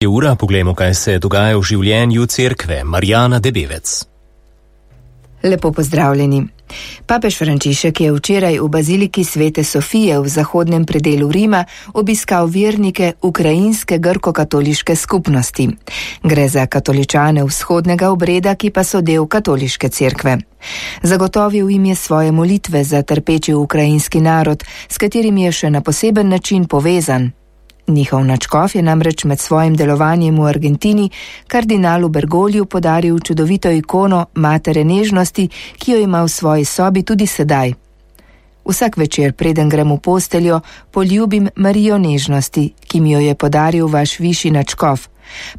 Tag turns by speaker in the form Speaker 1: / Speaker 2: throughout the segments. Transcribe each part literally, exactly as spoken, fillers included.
Speaker 1: Je ura, poglejmo, kaj se dogaja v življenju cerkve. Marjana Debevec.
Speaker 2: Lepo pozdravljeni. Papež Frančišek je včeraj v baziliki Svete Sofije v zahodnem predelu Rima obiskal vernike ukrajinske grko-katoliške skupnosti. Gre za katoličane vzhodnega obreda, ki pa so del katoliške cerkve. Zagotovil jim je svoje molitve za trpeči ukrajinski narod, s katerim je še na poseben način povezan. Njihov nadškof je namreč med svojim delovanjem v Argentini kardinalu Bergogliju podaril čudovito ikono Matere nežnosti, ki jo ima v svoji sobi tudi sedaj. Vsak večer, preden grem v posteljo, poljubim Marijo nežnosti, ki mi jo je podaril vaš višji nadškof,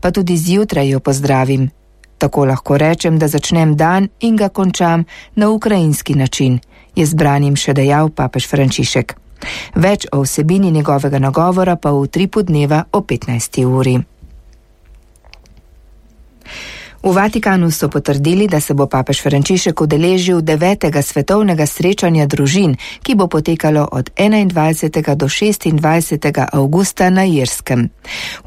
Speaker 2: pa tudi zjutraj jo pozdravim. Tako lahko rečem, da začnem dan in ga končam na ukrajinski način, je z branim še dejal papež Frančišek. Več o vsebini njegovega nagovora pa v utripu dneva o petnajsti uri. V Vatikanu so potrdili, da se bo papež Frančišek udeležil devetega svetovnega srečanja družin, ki bo potekalo od enaindvajsetega do šestindvajsetega avgusta na Irskem.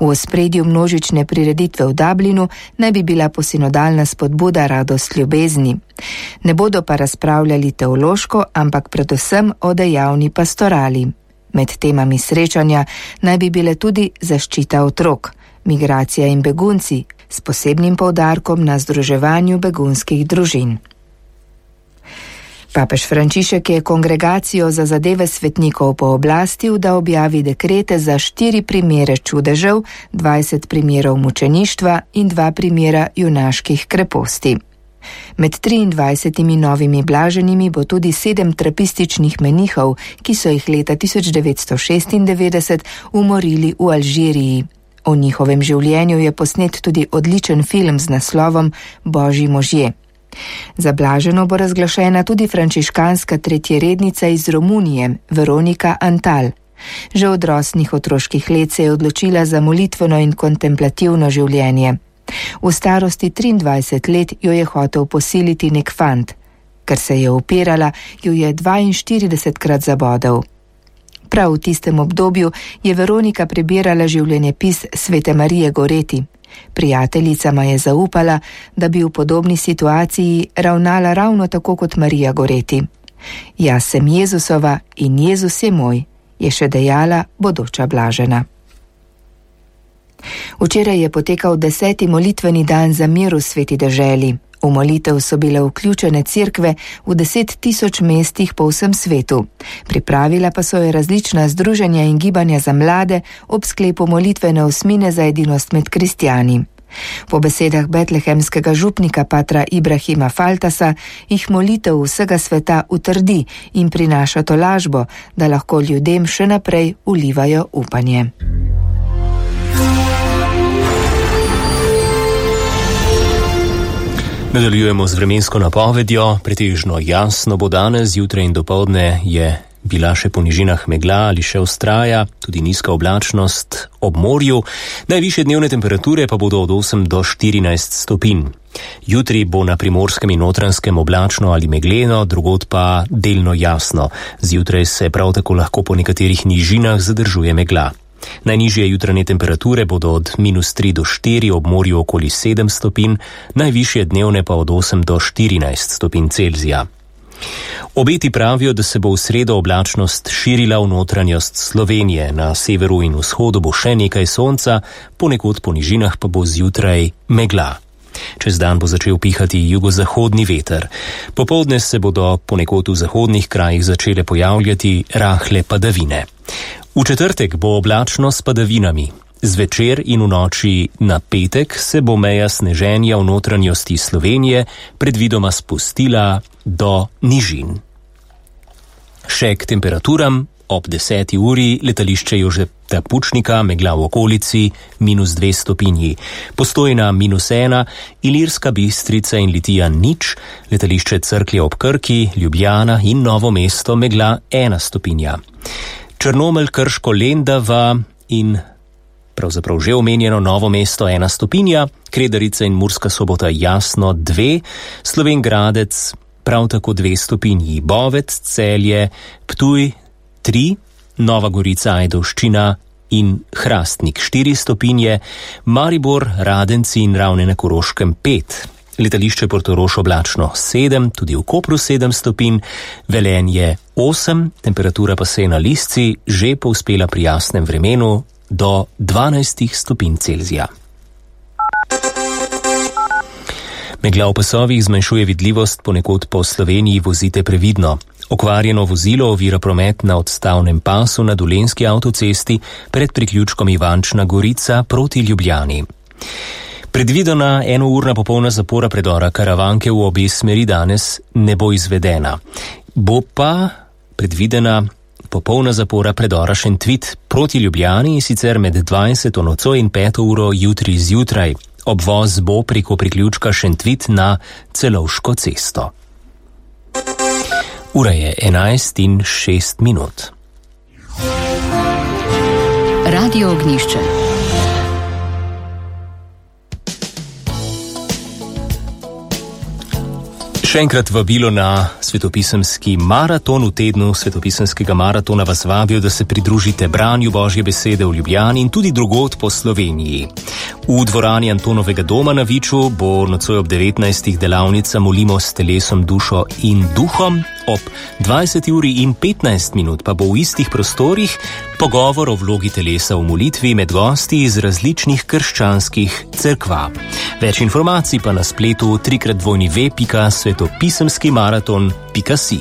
Speaker 2: V ospredju množične prireditve v Dublinu naj bi bila posinodalna spodbuda radost ljubezni. Ne bodo pa razpravljali teološko, ampak predvsem o dejavni pastorali. Med temami srečanja naj bi bile tudi zaščita otrok, migracija in begunci, s posebnim poudarkom na združevanju begunskih družin. Papež Frančišek je kongregacijo za zadeve svetnikov pooblastil, da objavi dekrete za štiri primere čudežev, dvajset primerov mučeništva in dva primera junaških kreposti. Med triindvajsetimi novimi blaženimi bo tudi sedem trapističnih menihov, ki so jih leta tisoč devetsto šestindevetdeset umorili v Alžiriji. O njihovem življenju je posnet tudi odličen film z naslovom Božji možje. Za blaženo bo razglašena tudi frančiškanska tretjerednica iz Romunije, Veronika Antal. Že od rosnih otroških let se je odločila za molitveno in kontemplativno življenje. V starosti triindvajset let jo je hotel posiliti nek fant. Ker se je upirala, jo je dvainštiridesetkrat zabodel. Prav v tistem obdobju je Veronika prebirala življenjepis svete Marije Goreti. Prijateljicama je zaupala, da bi v podobni situaciji ravnala ravno tako kot Marija Goreti. Jaz sem Jezusova in Jezus je moj, je še dejala bodoča blažena. Včeraj je potekal deseti molitveni dan za mir v sveti deželi. V molitev so bile vključene cerkve v deset tisoč mestih po vsem svetu. Pripravila pa so jo različna združenja in gibanja za mlade ob sklepu molitvene osmine za edinost med kristjani. Po besedah betlehemskega župnika patra Ibrahima Faltasa jih molitev vsega sveta utrdi in prinaša tolažbo, da lahko ljudem še naprej vlivajo upanje.
Speaker 1: Nadaljujemo z vremensko napovedjo. Pretežno jasno bo danes, zjutraj in dopoldne je bila še po nižinah megla ali še vztraja, tudi nizka oblačnost ob morju. Najvišje dnevne temperature pa bodo od osem do štirinajst stopinj. Jutri bo na Primorskem in Notranjskem oblačno ali megleno, drugod pa delno jasno. Zjutraj se prav tako lahko po nekaterih nižinah zadržuje megla. Najnižje jutranje temperature bodo od minus tri do štiri, ob morju okoli sedem stopinj, najvišje dnevne pa od osem do štirinajst stopinj Celzija. Obeti pravijo, da se bo v sredo oblačnost širila v notranjost Slovenije, na severu in vzhodu bo še nekaj sonca, ponekod po nižinah pa bo zjutraj megla. Čez dan bo začel pihati jugozahodni veter. Popoldne se bodo ponekod v zahodnih krajih začele pojavljati rahle padavine. V četrtek bo oblačno s padavinami. Zvečer in v noči na petek se bo meja sneženja v notranjosti Slovenije predvidoma spustila do nižin. Še k temperaturam. Ob deseti uri letališče Jožeta Pučnika, megla v okolici, minus dve stopinji. Postojna minus ena, Ilirska Bistrica in Litija nič, letališče Cerklje ob Krki, Ljubljana in Novo mesto, megla ena stopinja. Črnomelj, Krško, Lendava in pravzaprav že omenjeno Novo mesto ena stopinja, Kredarica in Murska Sobota jasno dve, Slovenj Gradec prav tako dve stopinji, Bovec, Celje, Ptuj tri, Nova Gorica, Ajdovščina in Hrastnik štiri stopinje, Maribor, Radenci in Ravne na Koroškem pet. Letališče Portorož oblačno sedem, tudi v Kopru sedem stopinj, Velenje osem, temperatura pa se je na Lisci že povzpela pri jasnem vremenu do dvanajst stopinj Celzija. Megla v pasovih zmanjšuje vidljivost, ponekod po Sloveniji vozite previdno. Okvarjeno vozilo ovira promet na odstavnem pasu na Dolenjski avtocesti pred priključkom Ivančna Gorica proti Ljubljani. Predvidena enourna popolna zapora predora Karavanke v obe smeri danes ne bo izvedena. Bo pa predvidena popolna zapora predora Šentvid proti Ljubljani in sicer med dvajseto nocoj in peto uro jutri zjutraj. Obvoz bo preko priključka Šentvid na Celovško cesto. Ura je enajst in šest minut.
Speaker 3: Radio Ognjišče.
Speaker 1: Še enkrat vabilo na svetopisemski maraton. V tednu svetopisemskega maratona vas vabijo, da se pridružite branju Božje besede v Ljubljani in tudi drugod po Sloveniji. V dvorani Antonovega doma na Viču bo nocoj ob devetnajstih delavnica Molimo s telesom, dušo in duhom. Ob dvajseti uri in petnajst minut pa bo v istih prostorih pogovor o vlogi telesa v molitvi med gosti iz različnih krščanskih cerkva. Več informacij pa na spletu trikrat dvojni ve pika svetopisemski maraton pika si.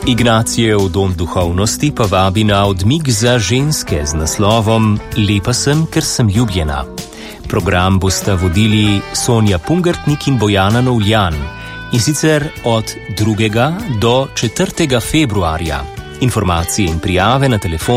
Speaker 1: Ignacijev dom duhovnosti pa vabi na odmik za ženske z naslovom Lepa sem, ker sem ljubljena. Program bosta vodili Sonja Pungartnik in Bojana Novljan, in sicer od drugega do četrtega februarja. Informacije in prijave na telefon